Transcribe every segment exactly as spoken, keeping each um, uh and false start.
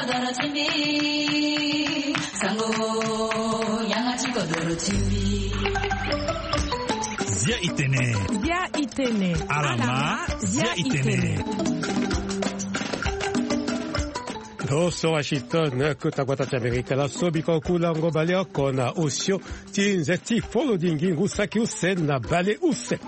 Zia itene. Zia itene. Alama, zia itene. Ndo so Washington, kota gbata ti Amerika. Laso biko kulango baleoko na osio ti nze ti folo di ngingu saki use na bale use.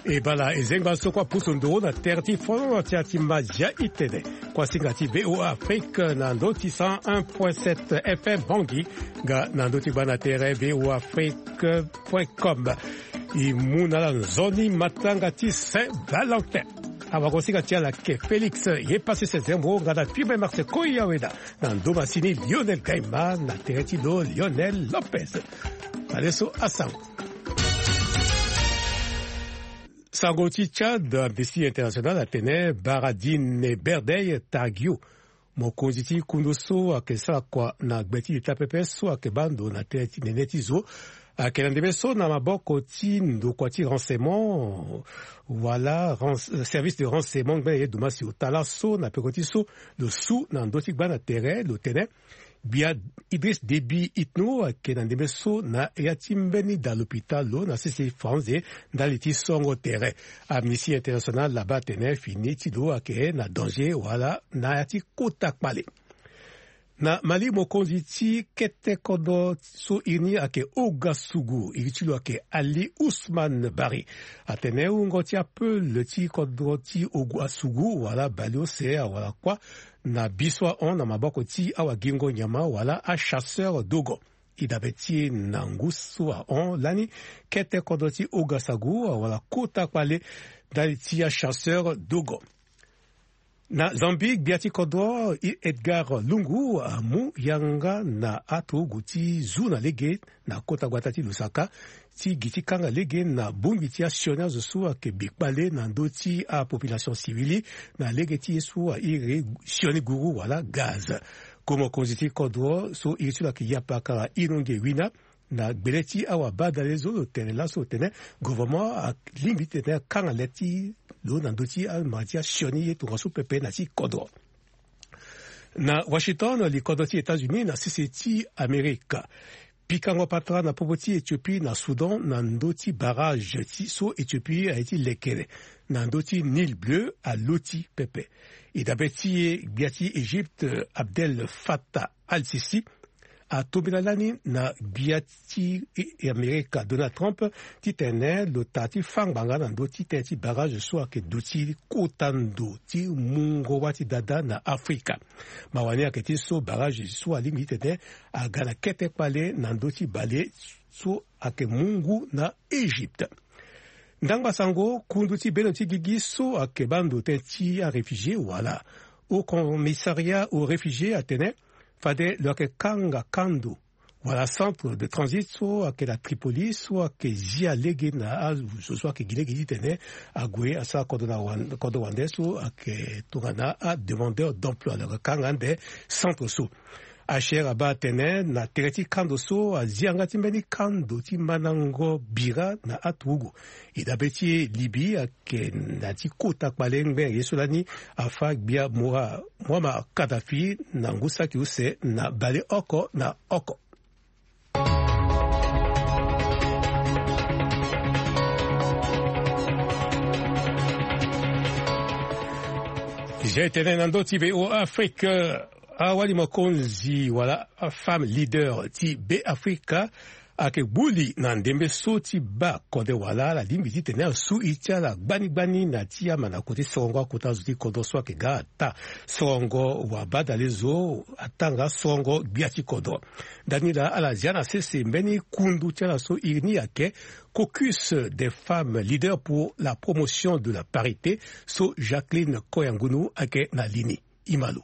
E bala e zengba so kua pusu nduru na tere ti folo ti ya ti mazia itene. Kuasinga ti V O A Afrique na ndö ti cent un point sept F M Bangui, nga na ndö ti gba na tere V O A Afrique point com. E mu na ala nzoni matanga ti Saint Valentin. Awagosinga ti ala ke Félix ye pasi se zembo nga na Fibre Marse Koyaweda na ndo masini Lionel Gaima na tere ti lo Lionel Lopez. Aleso asango. Sango ti Tchad, Amnesty International atene Baradine Berdey Targio, mokonzi ti kundu so ayeke sara kua na gbe ti leta pepe so ayeke baa ndo na tënë ti nene ti zo, ayeke na ndembe so na maboko ti ndokua ti renseignement wala ren-, service de renseignement ngbene ye dumasi ota laso na peko ti so lo su na ndö ti gba na tere lo tene gbia Idriss Déby Itno ayeke na ndembe so na ya ti mbeni da lopitalo na sese faranze ndali ti songo tere. Amnesty International abaa atene fini ti lo ayeke na danger wala na ya ti kota kpale. Na Mali, mokonzi ti kete kodro so iri ni ayeke Ouagasougou, iri ti lo ayeke Ali Ousmane Barry, atene wungo ti apeule ti kodro ti Ouagasougou wala baleuse awara kuâ na bi so ahon na maboko ti awagingo nyama wala achasseur dogo. E dabe ti e na ngu so ahon lani, kete kodro ti Ouagasougou awara kota kpale ndali ti achasseur dogo. Na Zambie, gbia ti kodro Edgar Lungu amu yanga na aturugu ti zu na lege na kota gbata ti Lusaka ti gi ti kanga lege na bongbi ti asioni azo so ayeke bi kpale na ndö ti apopulation civile na lege ti ye so airi sioni guru wala gaz. Ko mokonzi ti kodro so iri ti lo ayeke Yapakara Inonge Wina, na gbele ti awabadale zo lo tene laso lo tene gouvernement alingbi ti tene akanga le ti lo na ndö ti amara ti asioni ye tongaso pepe na ti kodro. Na Washington, likodro ti États-Unis na sese ti Amerika pikango patara na popo ti Éthiopie na Soudan na ndö ti barrage ti so Éthiopie aye ti lekere na ndö ti Nil Bleu aloti pepe. E dabe ti e gbia ti Égypte Abdel Fattah al-Sisi atombela lani na gbia ti Amerika Donald Trump titene lo ta ti fâ ngbanga na ndö ti tënë ti barrage so ayeke duti kota ndo ti mungo wâ ti dada na Afrika. Mawa ni ayeke ti so barrage so alingbi titene aga na kete kpale na ndö ti bale so ayeke mu ngu na Égypte. Ndangba sango, kundu ti beno ti gigi so ayeke baa ndo tënë ti aréfugié wala Haut Commissariat aux Réfugiés atene fade lo yeke kanga kando wala centre de transit so ayeke na Tripoli so ayeke zia lege na azo so ayeke gi lege titene ague asara kodro na wan-, kodro wande so ayeke tongana ademandeur d'emploi. Lo yeke kanga ande centre so. H C R abaa atene na tere ti kando so azia yanga ti mbeni kando ti mandango bira na aturugu. E dabe ti e Libye ayeke na ti kota kpale ngbene ye so lani afâ gbia Moura-, Muammar Kadhafi na ngu saki use na baleoko na oko. Zia e tene na ndö ti V O A Afrique, awali mokonzi wala afemme leader ti Beafrika ayeke gbu li na ndembe so ti baa kode wala ala lingbi titene asu iri ti ala gbani gbani na ti amandako ti sorongo akota zo ti kodro so ayeke ga ata sorongo wabadale zo atanga sorongo gbia ti kodro. Ndani laa ala zia na sese mbeni kundu ti ala so iri ni ayeke Caucus des femmes leaders pour la promotion de la parité so Jacqueline Koyangunu ayeke na li ni. E ma lo.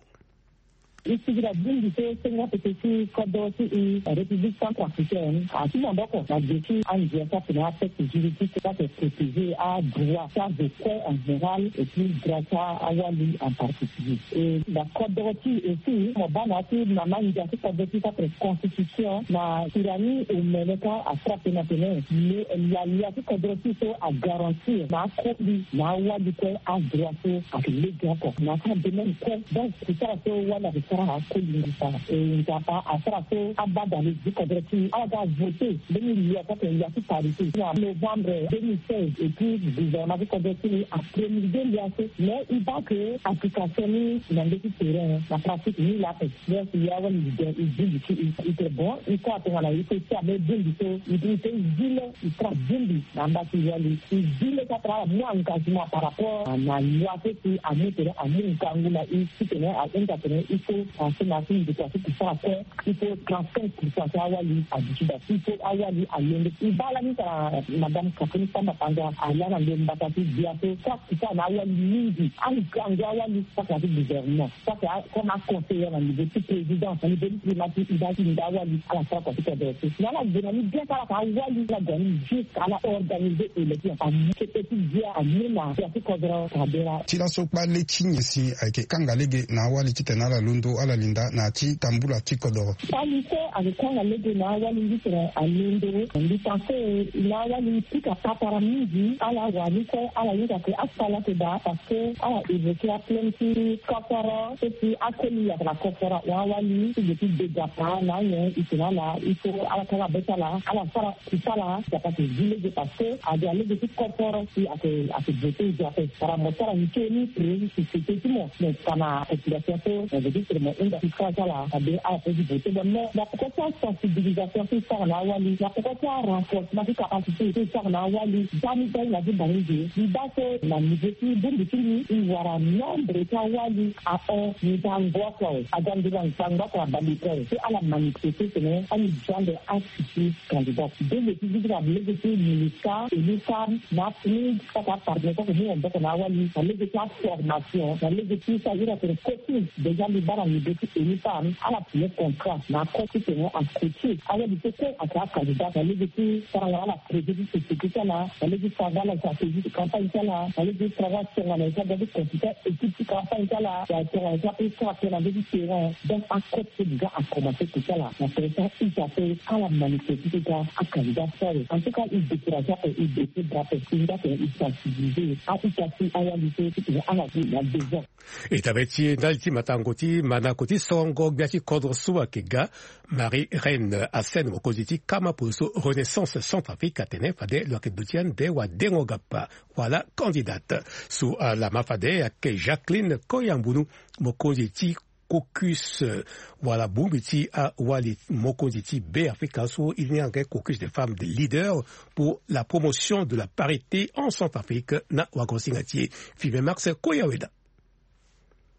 E sigi na bongbi so sengo pepe ti kodro ti e, République Centrafricaine, ati maboko na ge ti andia ti atene atexte juridique so ayeke protéger adroit ti azo kue en général et puis droit ti awali en particulier. E na kodro ti e aussi mo baa na ya ti mama ndia ti kodro ti e so ayeke constitution na Tirani Omeleka afrappe na tene le, lalia ti kodro ti e so agarantir na akoli na awali kue adroit so ayeke lege oko na ya ti adomaine kue. Donc kosara so wali ayeke Akoli ngu sara e Nzapa asara so abadale ti kodro ti ala ga vote mbeni loi so atene loi ti parité na novembre deux mille seize. Et puis gouvernement ti kodro ti ni apromulgué loi so, mais e baa ke application ni na ndö ti terrain na pratique ni laa ape. Donc ya wali e bongbi ti e, e tene bon, e kue atongana e so e ti ambeni bongbi so e pe e pe e zi le e tra bongbi na amba ti wali. E zi le so atara ala mu engagement par rapport na loi so si amu tene amu ngangu na e titene ahunda tene il faut penser na ti ndokua so kusara kue. Il faut trente-cinq pour cent ti awali aduti daa. Il faut awali alondo. E baa lani tara madame Catherine Samba Panza alaa na ndo mbata ti gbia so saki sara na awali mingi. Angangu awali saki na ti gouvernement, saki comme aconseiller na niveau ti présidence, na niveau ti primati, e baa ti nda awali ala sara kua ti kodro so. Na ala gue na ni bien so ala fa awali ala gue na ni jusque ala organiser élection. Amu kete ti gbia amu na gbia ti kodro. Kabera. Ti laso kpale ti nyen si ayeke kanga lege na awali titene ala londo ala linda na ya ti tambula ti kodoro? Kpale so ayeke kanga lege na awali titene alondo. Mbi pense na awali pika patara mingi. Ala wani kue ala hinga ke asala ke daa parce que ala évoquer aplem ti koforo so si akoli yaka na koforo awali ti ge ti dega pa na anyen. E tene ala il faut ala kanga be ti ala ala sara. Ti sara Nzapa ti zi lege parce que ade alege ti koforo si ake ake vote nzapa. Para mo sara nzoni premier société ti mo, mo fa na population so mo veut dire seulement mo hunda ti sara ti ala abe ala pe ti vote. Bon, mais na poko ti asensibilisation so e sara na awali, na poko ti arenforcement ti capacité so e sara na awali, ndani ndani na ti bangi ge. Mbi baa so na niveau ti bongbi ti mbi e wara nombre ti awali ahon nzangba oko awe, aga nzoni nzangba oko abale oko awe so ala manifeste tene ani jande asi ti candidat. Nde lege ti zi ti na lege ti MINUSCA, ENUFAM, na PNUD, kaka partenaire so ake mu maboko na awali na lege ti aformation, na lege ti sara iri atene coaching. Déjà mbi baa na niveau ti ENUFAM ala signer contrat na akote titene acoacher awali so kue ake acandidat na lege ti sara na ala projet ti société ti ala, na lege ti sara na ala stratégie ti campagne ti ala, na lege ti sara na ala tongana e sara ti consulter équipe ti campagne ti ala, wala tongana e sara ti sara tënë na ndö ti terrain. Donc akote so déjà akomanse ti sara na tere ti a-ita so ala manifeste ti ga acandidat so awe. En tout cas e décourage ape, e décourage ape, e nga tene e sensibiliser a-ita ti awali so titene ala gue na besoin. E tabeti ndali ti matango ti manako ti songo gbia ti kodro so ayeke ga, Marie Reine Hassen, mokonzi ti kama poroso Renaissance Centrafrique, atene fade lo yeke duti ande wadengo gapa wala candidate. So alama fade ayeke Jacqueline Koyambunu, mokonzi ti caucus, eh, wala bongbi ti awali mokonzi ti Beafrika so e ni ayeke caucus des femmes des leaders pour la promotion de la parité en Centrafrique na wagosinga ti e. Five Max Koyaweda.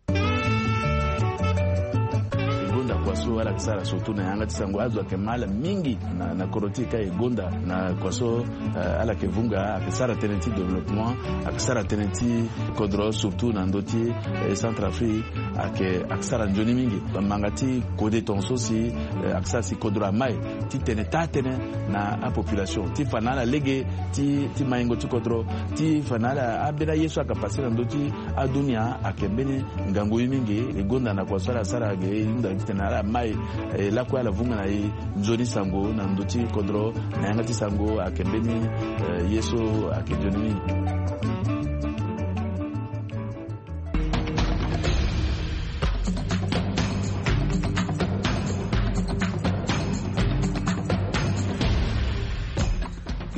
E gonda kua so ala yeke sara surtout na yanga ti sango azo ayeke ma ala mingi na, na kodro ti e ka e gonda na kua so, eh, ala yeke vunga, ayeke sara tënë ti développement, ayeke sara tënë ti kodro surtout na ndö ti, eh, Centrafrique, ayeke, ayeke sara nzoni mingi. Manga ti kode tongaso si, eh, ayeke sara si kodro amai ti tene taa tënë na apopulation ti fa na ala lege ti, ti maingo ti kodro, ti fa na ala ambeni aye so ayeke pase na ndö ti adunia ayeke mbeni ngangu ye mingi. E gonda na kua so ala sara ge e hunda titene ala mai, eh, lakue ala vunga na e nzoni sango na ndö ti kodro na yanga ti sango ayeke mbeni, eh, ye so ayeke nzoni mingi.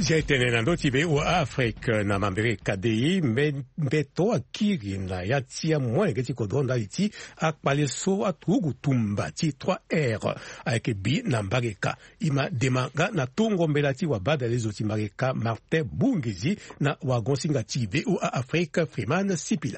Zia e tene na ndö ti V O A Afrique na mambere kadei, mbe-, mbeto akiri na ya ti amolenge ti kodro ndali ti akpale so aturugu tumba ti trois R ayeke bi na mbage ka. E ma dema nga na tongo mbela ti wabadale zo ti mbage ka Martin Bungizi na wagosinga ti V O A Afrique Freeman Sipila.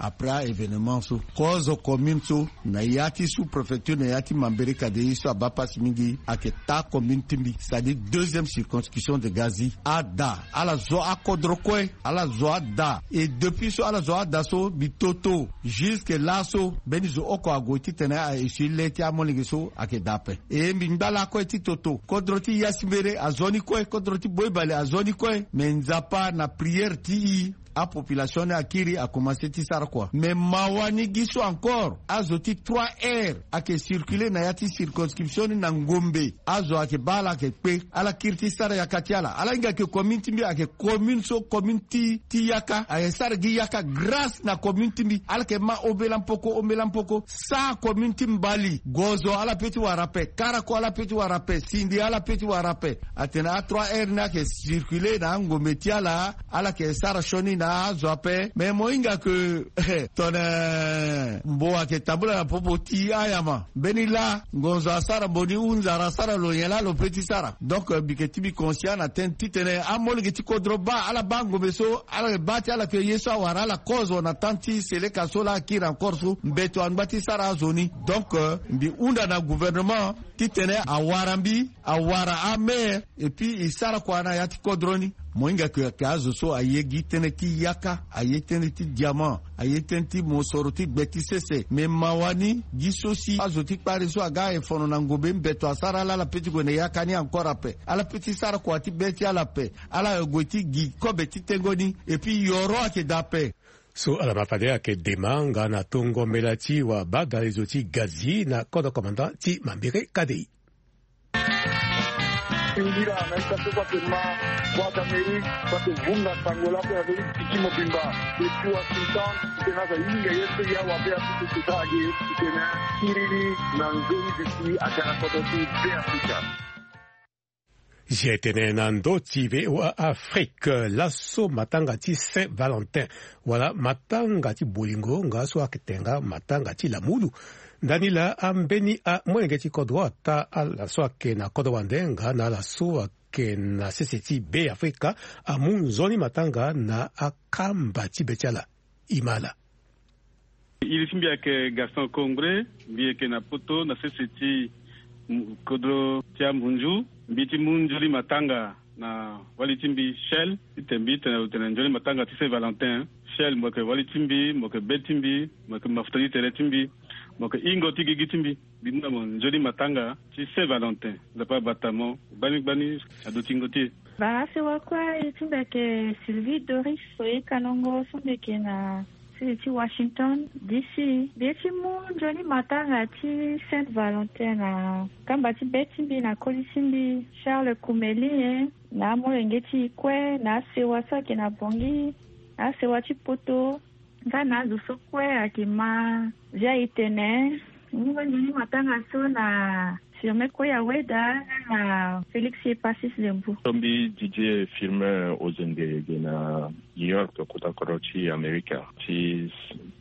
Après événement so, kozo commune so na ya ti sous-préfecture na ya ti mambere kadei so abaa pasi mingi ayeke taa commune ti mbi, c'est-à-dire deuxième circonscription de Gazi. Ada ala zo akodro kue, ala zo ada. Et depuis so ala zo ada so, mbi toto jusque laso mbeni zo oko ague titene a essuyer le ti amolenge so ayeke daa ape. E mbi ngba lakue ti toto, kodro ti Yasimbere azo ni kue, kodro ti Boibale azo ni kue. Me Nzapa na prière ti e Apopulation ni akiri, akomanse ti sara kua. Mais mawa ni gi so encore azo ti trois R ayeke circuler na ya ti circonscription ni na ngombe. Azo ayeke baa ala ayeke kpe, ala kiri ti sara yaka ti ala. Ala hinga ke commune ti mbi ayeke commune so commune ti ti yaka, ayeke sara gi yaka grâce na commune ti mbi. Ala yeke ma ombela mpoko ombela mpoko. Sa commune ti mbali, gozo ala pe ti wara ape, karako ala pe ti wara ape, sindi ala pe ti wara ape. Atene a trois R ni ayeke circuler na angombe ti ala. Ala yeke sara sioni na azo ape. Mais mo hinga ke tongana mbo ayeke tambula na popo ti ayama, mbeni laa ngonzo asara mbo ni, hunzara asara lo nyen laa lo pe ti sara. Donc mbi yeke ti mbi conscient na tënë titene amolenge ti kodro baa, ala baa ngombe so ala yeke baa ti ala ke ye so awara ala kozo na temps ti seleka so laa akiri encore so mbeto angba ti sara azo ni. Donc mbi hunda na gouvernement titene awara mbi, awara amaire, et puis e sara kua na ya ti kodro ni. Mo hinga ke ayeke azo so aye gi tënë ti yaka, aye tënë ti diamant, aye tënë ti mosoro ti gbe ti sese. Mais mawa ni gi so si azo ti kpari so aga aye fono na ngombe, mbeto asara ala ala pe ti gue na yaka ni encore ape. Ala pe ti sara kua ti be ti ala ape. Ala gue ti gi kobe ti tengo ni. Et puis yoro ayeke daa ape. So ala ma fade ayeke dema nga na tongo mbela ti wabadalezo ti Gazi na kodro commandant ti Mambere Kadei. Indira na ita so kua ke ma Voix d'Amérique, kua ke vunga sango lako ya veni tiki mobimba. Depuis Washington, titene aza hinga ye so ya wabe apupu kuta age, titene kiri ni na nzoni duti aga na kodro ti Be Afrika. Zia tene na ndö ti V O A Afrique, laso matanga ti Saint Valentin wala matanga ti bolingo nga so ayeke tene nga matanga ti lamulu. Ndani laa ambeni amolenge ti kodro ata ala so ayeke na kodro wande nga na ala so ayeke na sese ti Be Afrika amu nzoni matanga na akamba ti be ti ala. E ma ala. Iri ti mbi ayeke Gaston Congre, mbi yeke na poto na sese ti kodro ti amunzu. Mbi ti mu nzoni matanga na wali ti mbi Shell, titene mbi tene lo tene nzoni matanga ti Saint Valentin. Shell mo yeke wali ti mbi, mo yeke be ti mbi, mo yeke mafuta ti tere ti mbi, mo yeke hingo ti gigi ti mbi. Mbi mu na mo nzoni matanga ti Saint Valentin. Nzapa abata mo gbani gbani na dutingo ti e. Bara sewa kue, iri ti mbi ayeke Sylvie Doris, so e kanongo so mbi yeke na sese ti Washington D C. Mbi ye ti mu nzoni matanga ti Saint Valentin na kamba ti be ti mbi na koli ti mbi Charles Koumeli, na amolenge ti e kue, na asewa so ayeke na Bangui, na asewa ti poto, nga na azo so kue ayeke ma zia e tene. Nzoni matanga so na Firmin Koya Weda na Félix Epasis Lembu. So mbi Didier Firmin Ozenge, e ge na New York, kota kodro ti Amerika, ti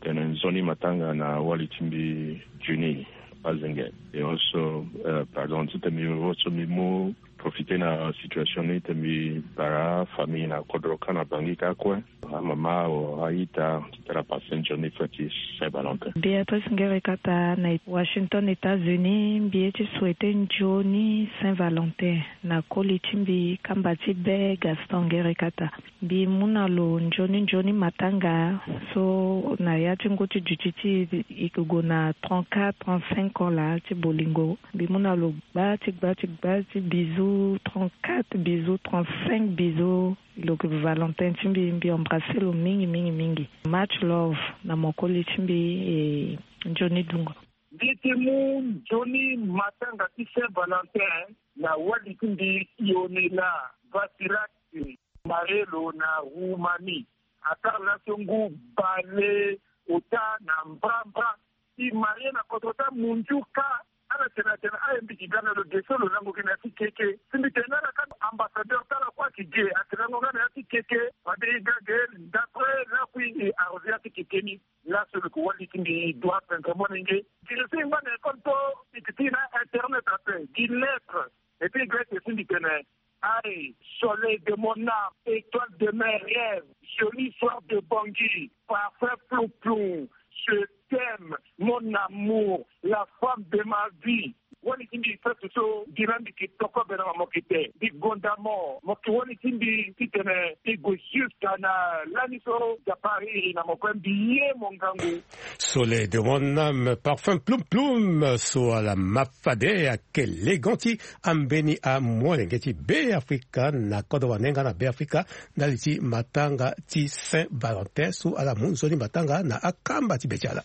tene nzoni matanga na wali ti mbi Juni Azenge. E oso, eh, pardon, titene mbi oso mbi mu profiter na situation ni titene mbi bara afamille na kodro kâ na Bangui kâ kue. Amama o aita titene apasse nzoni fête ti Saint Valentin. Béatrice Ngerekata na Washington, États-Unis. Mbi ye ti souhaiter nzoni Saint Valentin na koli ti mbi kamba ti be Gaston Ngerekata. Mbi mu na lo nzoni nzoni matanga so na ya ti ngu ti duti ti e, e yeke gue na trente-quatre, trente-cinq ans laa ti bolingo. Mbi mu na lo gba ti gba ti gba ti bisous, trente-quatre bisous, trente-cinq bisous. Lo yeke Valentin ti mbi, mbi embrasser lo mingi mingi mingi. Much love na mo koli ti mbi, e nzoni dungo. Mbi ti mu nzoni matanga ti Saint Valentin na wali ti mbi Ionela Vasirati. Marie lo na Roumanie. Atar laso ngu bale ota na mbrambra. E marie na kodro ti amunzu kâ. Ala tene atene aye mbi gi ga na lo ge so lo lango gi na ya ti keke. Si mbi tene na ala kâ, ambassadeur ti ala kue ayeke ge, ake lango nga na ya ti keke. Fade e ga ge, d'après lakui e arrosé ya ti keke ni. Laso lo yeke wali ti mbi Edouard Benjamin Nge. Gi lo so e ngba na école so e yeke ti na internet ape, gi lettre. Et puis grèce si mbi tene: Aïe, soleil de mon âme, étoile de mes rêves, jolie fleur de Bangui, parfum plou-plou, je t'aime, mon amour, la femme de ma vie. Wani ti mbi fête so, mbi na mbi ke tokobe na mamoke te. Mbi gonda mo, mo ke wani ti mbi titene mbi gue jusqu'à na lani so Japari iri na mo kue, mbi ye mo ngangu. Soleil de mon âme, parfum plum plum, so ala ma fade ayeke legan ti ambeni amolenge ti Beafrika na kodro wande nga na Beafrika ndali ti matanga ti Saint Valentin so ala mu nzoni matanga na akamba ti be ti ala.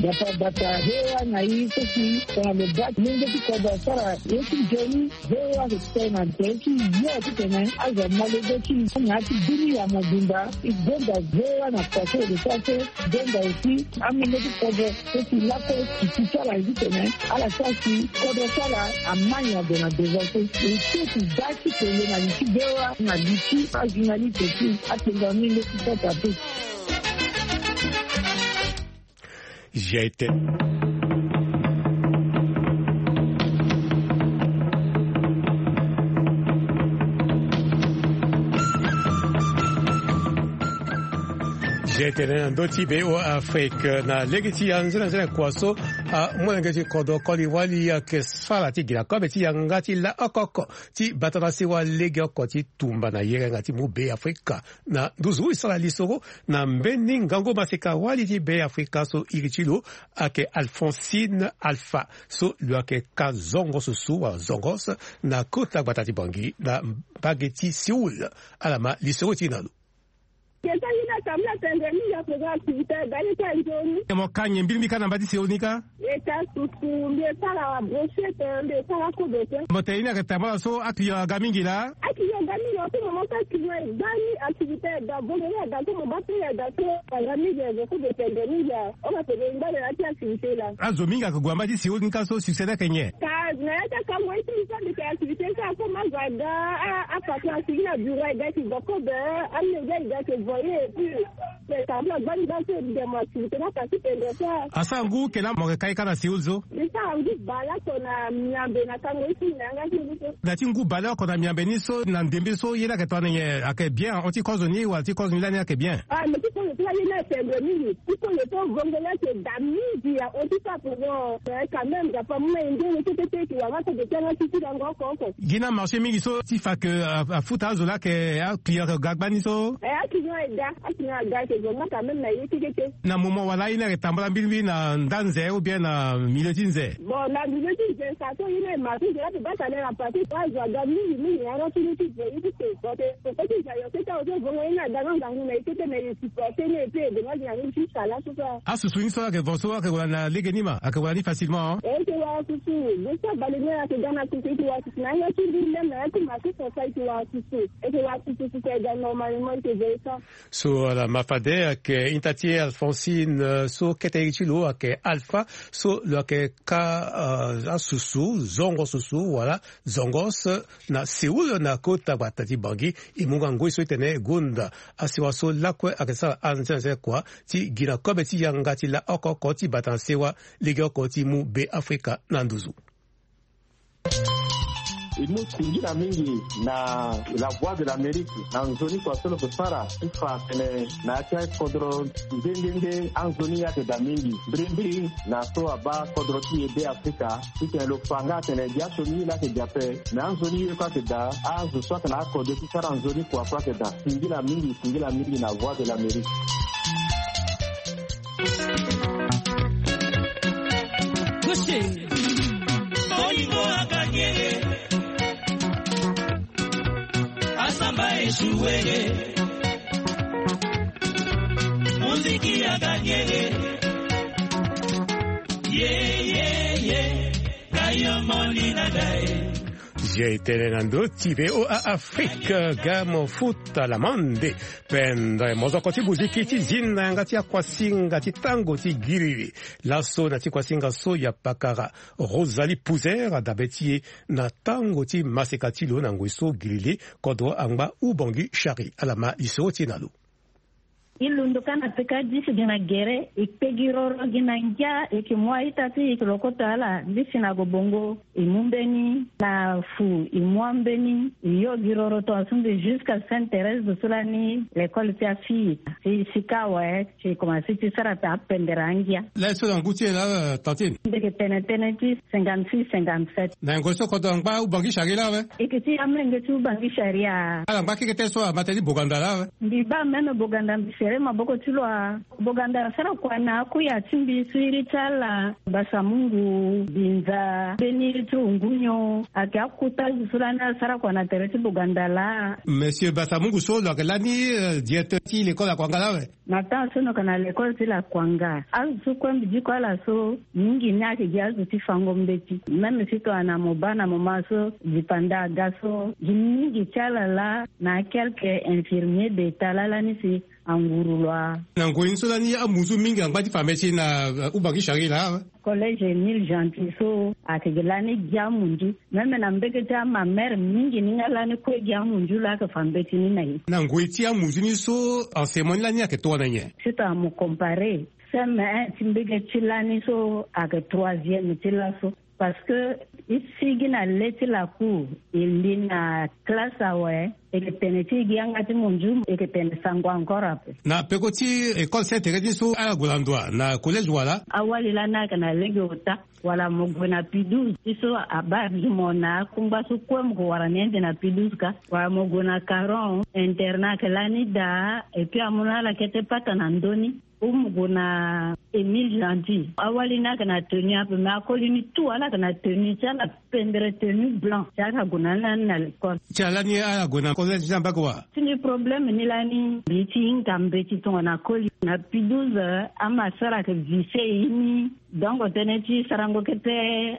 Dapa bata hewa na i so si tongana lo baa ti lenge ti kodro asara ye ti nzoni. Hewa so si tongana tene ti yo titene azo amolenge ti na ya ti bini ya mobimba. I gonda hewa na kua so lo sara so. Gonda aussi amolenge ti kodro so si lakue si ti sara ye titene ala sara si kodro ti ala ama nyango na devant so. E so si baa ti kele na li ti hewa na li ti ajournaliste ti atenda ni leti kota te. G T. G T na ndö ti be o Afrique na lege ti anzenanzena kua so. Amolenge ti kodro koli wali ayeke sara ti gi na kobe ti yanga ti la oko oko ti bata na sewa lege oko ti tumba na yerenga ti mu Beafrika na nduzu. E sara lisoro na mbeni ngangu maseka wali ti Beafrika so iri ti lo ayeke Alphonsine Alpha so lo yeke ka zongo susu wala zongos na kota gbata ti Bangui na mbage ti Séoul. Ala ma lisoro ti e na lo. Keta ye ni atambula tendre mingi afaga activité aye ti anzoni. Mo ka nyen mbirimbiri kâ na mba ti Séoul ni kâ? E ka susu, mbi e sara brochette, mbi e sara kobe te. Mo tene ye ni ayeke tambula so aclient aga mingi laa? Aclient aga mingi, en ce moment so aclient e gba ni, activité e ga, vo mo ye aga so mo baa ti ye aga so aga mingi, e vo kobe tendre mingi laa. Oko atene e ngba na ya ti activité laa. Azo mingi ayeke gue na mba ti Séoul ni kâ so succès ni ayeke nyen? Ka na ya ti akango ye ti mbi so mbi tene activité so akomo azo aga, a, apatron asigi na bureau e ga e ke vo kobe, amolenge e ga e ke vo ye et puis. Asara ngu ke laa mo yeke ka ye kâ na Séoul so? Mbi sara ngu bale oko na miambe na kango ye ti mbi na yanga ti ngu so. Na ti ngu bale oko na miambe ni so na ndembe so ye ni ayeke tongana nyen, ayeke bien? Hon ti kozo ni wala ti kozo ni lani ayeke bien? Ah, mais ti kozo ti la ye ni atendre mingi. Ti kozo ti vongo ni ayeke daa mingi ya hon ti sa pour moi. Eh, quand même, ga pa mu na ye nde ye kete te e ke wara nga so de ti yanga ti ti lango oko oko. Gi na marché mingi so ti fa ke, ah, afuta azo laa ayeke aclient ayeke ga gbani so? Eh, aclient e ga, aclient aga ayeke zo nga quand même na ye ti kete. Na moment wala ye ni ayeke tambula mbirimbiri na nda nze ou bien na milieu ti nze? Bon, na milieu ti nze sa so ye ni aye marché nze la pe baa tane na pate azo aga mingi mingi na yanga ti ni ti ve ye ti te. Bon, te koko ti nze ayo kete azo so vongo ye ni aga nga ngangu na ye kete mais e supporter ni et puis e de nga gi na ni ti sala so so. Asusu ni so ayeke vo so ayeke wara na lege ni ma ayeke wara ni facilement? E yeke wara susu. Zo so abale ni ayeke ga na susu e yeke wara susu na yanga ti mbi même na ya ti marché so sa e yeke wara susu. E yeke wara susu susu e ga normalement e yeke ve ye so. So ala ma fade ayeke hinta ti e Alphonsine, eh, so kete iri ti lo ayeke Alpha so lo yeke ka, eh, asusu zongo susu wala zongos na Séoul na kota gbata ti Bangui. E mu nga ngoi so e tene gonda asewa so lakue ayeke sara anze anze kua ti gi na kobe ti yanga ti la oko oko ti bata na sewa legeoko ti mu Beafrika na nduzu. E mu singila mingi na La Voix de l'Amérique na nzoni kua so lo ke sara ti fa atene na ya ti akodro nde nde nde anzoni ye ayeke daa mingi mbirimbiri na so abaa kodro ti e Beafrika. Titene lo fa nga atene gi asioni ye laa ayeke gi ape. Me anzoni ye kue ayeke daa, azo so atene akode ti sara nzoni kua kue ayeke daa. Singila mingi, singila mingi na Voix de l'Amérique. Bolingo aganye, asamba esuwele. Muziki aganye. Ye, ye, ye. Kayo moni na ngai. Zia e tene na ndö ti V O A Afrique, ga mo futa lamande. Pendre mozoko ti muziki ti zi na yanga ti akuasinga ti tango ti giriri. Laso na ti kuasinga so ya pakara Rosalie Pouzer adabe ti e na tango ti maseka ti lo na ngoi so giriri kodro angba Ubangui Chari. Ala ma lisoro ti e na lo. E londo kâ na peka dix gi na gere, e kpe gi roro gi na ngia, e yeke mu a-ita ti e, e yeke lokoto ala. Nde si na ague bongo, e mu mbeni na fu, e mu ambeni, e yo gi roro tongaso mbi jusqu'à Sainte Thérèse de so lani l'école ti afille. Si, si kâ awe, si e komanse ti sara ta pendere angia. Laso na ngu ti e laa, tantine? Mbi yeke tene tënë ti cinquante-six, cinquante-sept. Na ngoi so kodro angba Ubangui Chari laa awe? E yeke ti amolenge ti Ubangui Chari. Ala ngba keke tënë so ama tënë ti Boganda laa awe? Mbi baa même Boganda, mbi sere maboko ti lo a. Boganda asara kua na akuya ti mbi so iri ti ala, Basamungu, Binza, mbeni iri ti Ungunyo, ayeke akuta azo so lani asara kua na tere ti Boganda laa. Monsieur Basamungu so lo yeke lani, euh, directeur ti l'école Akwanga laa awe? Na temps so na yeke na l'école ti Lakwanga. Azo so kue mbi diko ala so, mingi ni ayeke gi azo ti fango mbeti. Même si tongana mo baa na moment so, dipanda aga so, gi mingi ti ala laa na quelques infirmiers d'État laa lani si anguru lo a. Na ngoi ni so lani amunzu mingi angba ti fa mbeti na, euh, Ubangui Chari laa awe? Collège Émile Gentil so ayeke gi lani gi amunzu. Même na mbege ti amamere mingi ni nga lani kue gi amunzu laa ayeke fa mbeti ni na e. Na ngoi ti amunzu ni so, enseignement ni lani ayeke tongana nyen? Si tongana mo comparer, C M un ti mbege ti lani so ayeke troisième ti laso. Parce que e sigi na le ti lacour, e li na classe awe, e yeke tene ti e gi yanga ti munzu, e yeke tene sango encore ape. Na peko ti école Sainte Thérèse ni so, ala gue na ndo wa na collège wala? Awali lani ayeke na lege ota. Wala mo gue na P douze ti so abaa mo na akungba so kue mo gue wara ni ande na P douze ka. Wala mo gue na Caron, internat ayeke lani daa, et puis amu na ala kete pata na ndö ni. Ou mo gue na Émile Gentil. Awali ni ayeke na tenue ape, mais akoli ni tout ala yeke na tenue ti ala, pendere tenue blanc. Ti ala gue na ni lani na l'école. Ti ala ni ala gue na collège ti ambage wa? Ti ni problème ni lani, mbi ti hinga mbeti tongana koli. Na P douze, ama sara ayeke vise e ni. Donc tënë ti sarango kete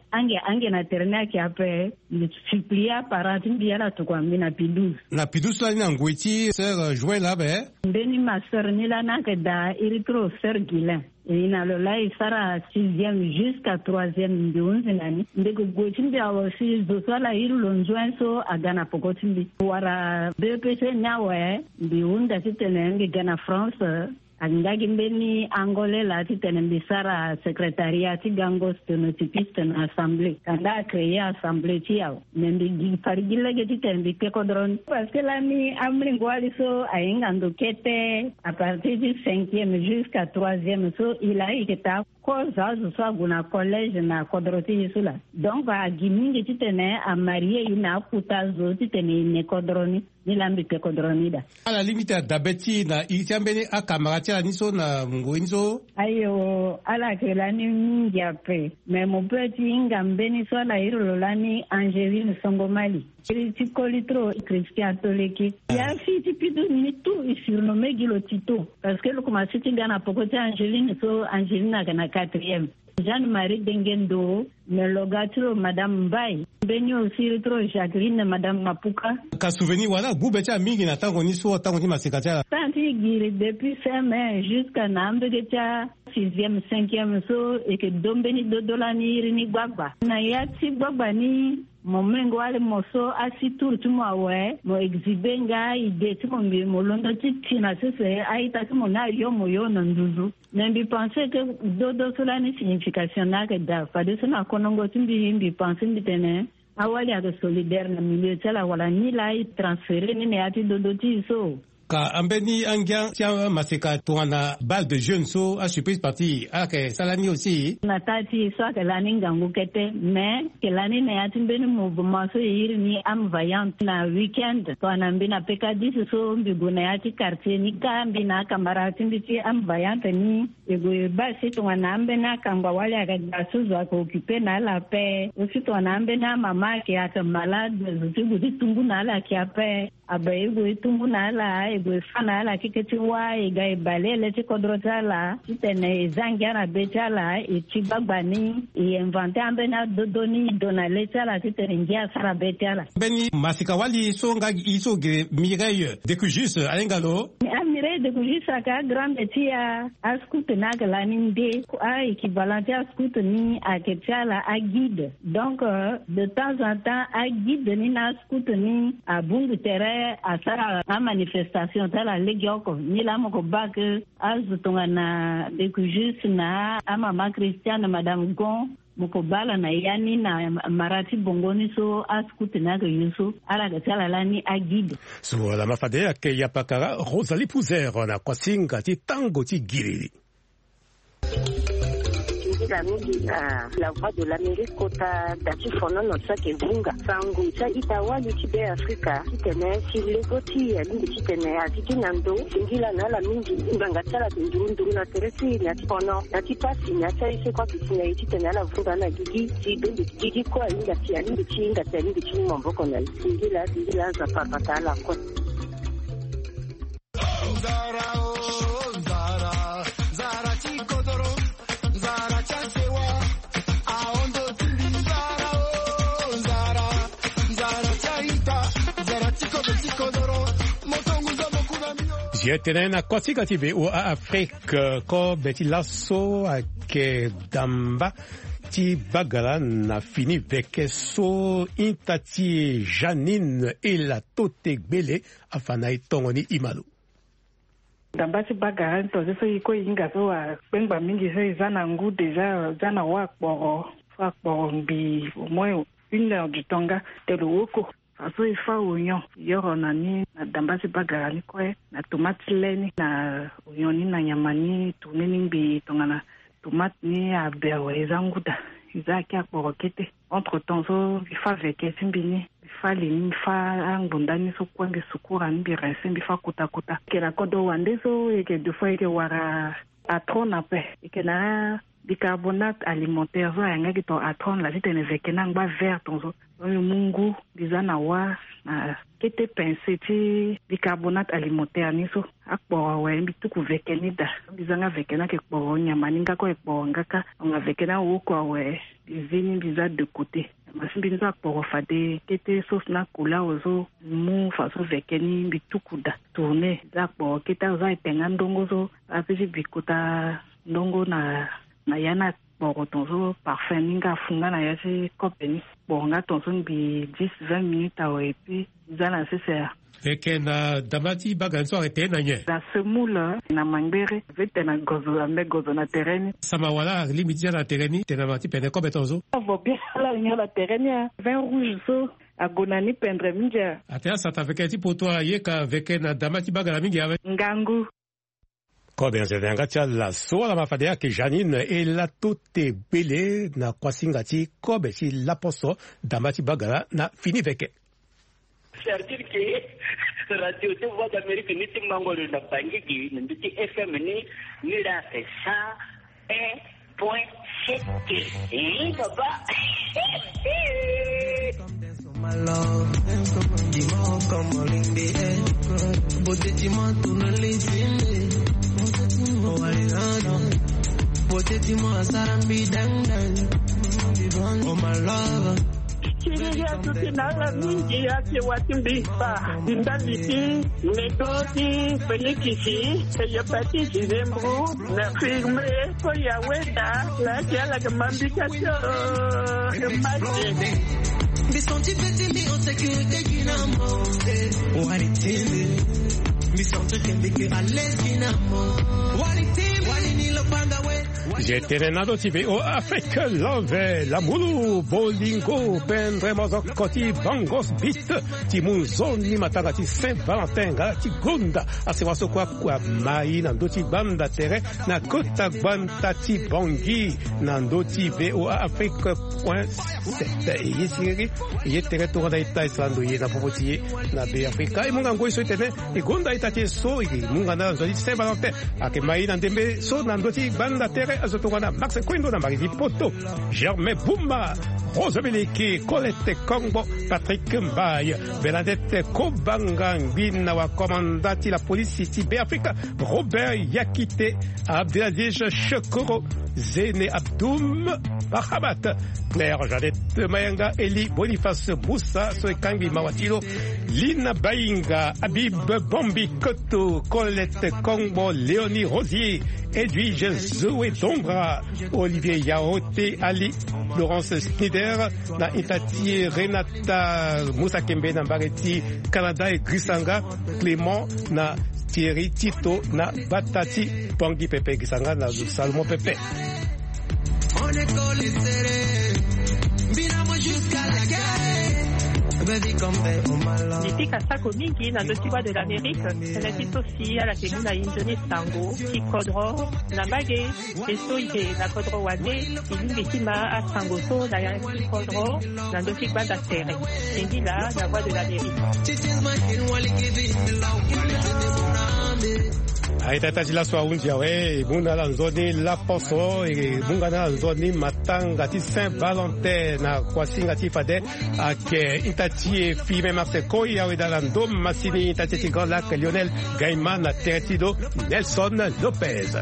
ange ange na tere ni ayeke ape. Mbi supplier aparent ti mbi ala tokua mbi na P douze. Na P douze so lani na ngoi ti sœur, euh, Joël ape? Mbeni ma sœur ni lani ayeke daa, iri ti lo sœur Guilain. E na lo laa e sara sixième jusqu'à troisième, mbi hunzi na ni. Ndeke gue ti mbi awe si zo so ala iri lo nzuen so aga na peko ti mbi. Wara B E P C ni awe, mbi hunda titene mbi ga na France. Ayeke nga gi mbeni Angolais laa titene mbi sara secrétariat ti gango sténotypiste na assemblée. Kanda acréer assemblée ti e awe. Me mbi gi fari gi lege titene mbi kpe kodro ni. Parce que lani amolenge wali so ahinga ndo kete, à partir ti cinquième jusqu'à troisième so, e laa e yeke taa kozo azo so ague na collège na kodro ti e so laa. Donc agi mingi titene amarie e na akuta zo titene e ne kodro ni. Ni laa mbi kpe kodro ni daa. Ala lingbi ti dabe ti e na iri ti ambeni akamara ti ala ni so na ngoi ni so? Ayo, ala yeke lani mingi ape. Me mo peut ti hinga mbeni so ala iri lo lani Angeline Songomali. Iri ti koli ti lo Christian Toleki. Ah. Ya fille ti P douze ni tout e surnommé gi lo Tito. Parce que lo komanse ti ga na peko ti Angeline so, Angeline ayeke na quatrième. Jeanne-Marie Dengendo, me lo ga ti lo Madame Mbaye. Mbeni aussi iri ti lo Jacqueline, Madame Mapuka. Ka souvenir wala gbu be ti ala mingi na tango ni so, tango ti maseka ti ala? Tango ti giri depuis C M un jusqu'à na ambege ti a sixième, cinquième so, e yeke do mbeni dodo lani iri ni gbagba. Na ya ti gbagba ni, mo mengo wali mo so asi tour ti mo awe, mo exhiber nga idée ti mo, mbi mo londo ti ti na sese a-ita ti mo ni ayo mo yo na nduzu. Mais mbi pense que dodo so lani signification ni ayeke daa. Fadeso na konongo ti mbi, mbi pense mbi tene awali ayeke solidaire na milieu ti ala wala ni laa e transférer ni na ya ti dodo ti e so. Ka ambeni angia ti amaseka tongana bal de jeune so, asurprise partie, ala yeke sara ni aussi? Na taa ti e so ayeke lani ngangu kete, mais e yeke lani na ya ti mbeni mouvement so e iri ni Âme Vaillante. Na week-end tongana mbi na pekadis so mbi gue na ya ti quartier ni kâ, mbi na akamara ti mbi ti Âme Vaillante ni. E gue e baa si tongana ambeni akangba wali ayeke daa so zo ayeke occuper na ala ape. Aussi tongana ambeni amama ayeke, ayeke malade, zo ti gue ti tungu na ala ayeke ape. Abe e gue e tungu na ala, e gue e fâ na ala keke ti wâ, e ga e baleele ti kodro ti ala titene e zia ngia na be ti ala, e ti gbagba ni, e inventer ambeni adodo ni e do na le ti ala titene ngia asara be ti ala. Mbeni maseka wali so nga gi e so gere Mireille Décujus, ahinga lo? Ami Pe de kuzi saka agrande ti a ascout ni ayeke lani nde. A équivalent ti ascout ni ayeke ti ala aguide. Donc, euh, de temps en temps aguide ni na ascout ni abungu tere asara amanifestation ti ala legeoko. Ni laa mo ko baa ke azo tongana de kuzi na amama Christiane, madame Gon, mo ko baa ala na ya ni na mara ti bongo ni so ascout ni ayeke yo so ala yeke ti ala lani aguide. So ala ma fade ayeke yapakara Rosalie Pouzer na kuasinga ti tango ti giriri. Nzila mingi na La Voix de l'Amérique kota da ti fonono ti ayeke vunga sango ti a-ita wali ti Be Afrika titene si lego ti e alingbi titene azi gi na ndo. Singila na ala mingi ngbanga ti ala ayeke nduru nduru na tere ti e na ti fono na ti pasi na ti aye so kue ayeke si na e titene ala vunga na gigi si bembe gigi kue ahinga si alingbi ti hinga si alingbi ti mu maboko na e. Singila singila Nzapa abata ala kue. Zi etene na kosika ti V O A Afrique, kobe ti laso ayeke damba ti bagala na fini veke so ita ti e Janine Elatote Gbele afa na e tongo ni imalo. Damba ti bagara ni tonze so e kue e hinga so akpengba mingi so e za na ngu déjà, za na wa akporo so akporo ngbii au moins une heure du temps nga te lo woko. Fa so e fa oignon yoro na ni na damba ti bagara ni kue na tomate ti le ni na oignon ni na nyama ni tourne ni ngbii tongana tomate ni aber awe e za ngu daa. E za ake akporo kete. Entre temps so mbi fa veke ti mbi ni, mbi fa li ni, mbi fa angbonda ni so kue, mbi sukura ni, mbi rince, mbi fa kota kota. Yeke na kodro wande so yeke deux fois yeke wara atron ape. Yeke na bicarbonate alimentaire so ayanga gi ton atron laa titene veke ni angba vert ton so. Donc mbi mu ngu mbi za na wa na kete pincée ti bicarbonate alimentaire ni so akporo awe mbi tuku veke ni daa. Mbi za nga veke ni ayeke kporo nyama ni nga kue ayeke kporo nga kâ. Tonga veke ni awoko awe mbi zi ni mbi za de côté. Nyama ti mbi ni so akporo fade kete sauce na couleur awe so mbi mu façon veke ni mbi tuku daa tourner. Za akporo kete awe so ayeke nga ndongo so ape ti bi kota ndongo na na ya ni akporo ton so parfum ni nga afu nga na ya ti kope ni. Kporo nga ton so ngbii dix vingt minutes awe et puis za na sese. Eke na damba ti bagara ni so ayeke tene na nyen? Na semoule na mangbere. Vete na gozo ambe gozo na tere ni. Sama wala alingbi ti za na tere ni tene na ma ti pene kobe ton so. Avo bien ala nyon na tere ni a vin rouge so ague na ni pendre mingi a. Ate asata veke ti poto ayeka veke na damba ti bagara mingi awe. Ngangu. Kobe na zende yanga ti ala so ala ma fade ayeke Janine Elatote Gbele na kuasinga ti kobe ti laposo damba ti bagara na fini veke. C'est-à-dire que radio ti Voix d'Amérique ni ti mango lo na Bangui gi na ndö ti F M ni, ni la fait cent un point sept. Eh, papa. Kiriri atuti na ala mingi ake wa ti mbi kpa ti ndali ti medo ti penikisi, hepatite, zembro, na firme. Ko ya weda la ti ala ke mambi ka ti o mate. Mbi senti pe ti mbi en sécurité gi na mo. Wari ti mbi. Mbi senti ke mbi ke à l'aise gi na mo. Wari ti mbi. Wari ni lo panda we. Zi etene na ndö ti V O A Afrique, love, lamulu, bolingo, pendre mozoko ti Bangos Beat, ti mu nzoni matanga ti Saint Valentin nga ti gonda asewa so kue akua mai na ndö ti gbanda tere na kota gbanda ti Bangui na ndö ti V O A Afrique point sept. E ye siriri, e ye tere tongana e ta e sara ndo ye na popo ti e na Be Afrika. E mu nga ngoi so e tene e gonda ita ti e so, e mu nga na nzoni Saint Valentin. Ayeke mai na ndembe so na ndö ti gbanda tere azo tongana Max Koindo na Marie-Vie Poto, Germain Bumba, Rose Beleke, Colette Kongbo, Patrick Mbaye, Bernadette Kobanga, ngbina wa komanda ti la polisi ti Be Afrika, Robert Yakite, Abdelaziz Shekoro, Zene Abdoum, Rabat. Claire Jeannette Mayanga, Eli Boniface Moussa so e kangbi mawa ti lo, Lina Bainga, Habib Bombi Koto, Colette Kongbo, Léonie Rosier, Edwige Zoé Dongra, Olivier Yaote, Ali Laurence Snider, na ita ti e Renata Moussa Kembe na mbage ti Canada e girisa nga, Clément na Thierry Tito na bata ti Pangui pepe, girisa nga na Salomon pepe. Mbi pika sako mingi na ndö ti Voix de l'Amérique, tënë ti so si ala yeke mu na e nzoni sango ti kodro na mbage. E so e yeke na kodro wande, e lingbi ti ma asango so na ya ti kodro na ndö ti gbanda tere. E ngila na Voix de l'Amérique. Aita ita ti laso ahunzi awe, e mu na ala nzoni laposo, e mu nga na ala nzoni matanga ti Saint Valentin na kuasinga ti fade. Ayeke ita ti e Firmin Marcel Koi, awe daa na ndo masini ita ti e ti Grand Lac, Lionel Gaima, na tere ti lo Nelson Lopez.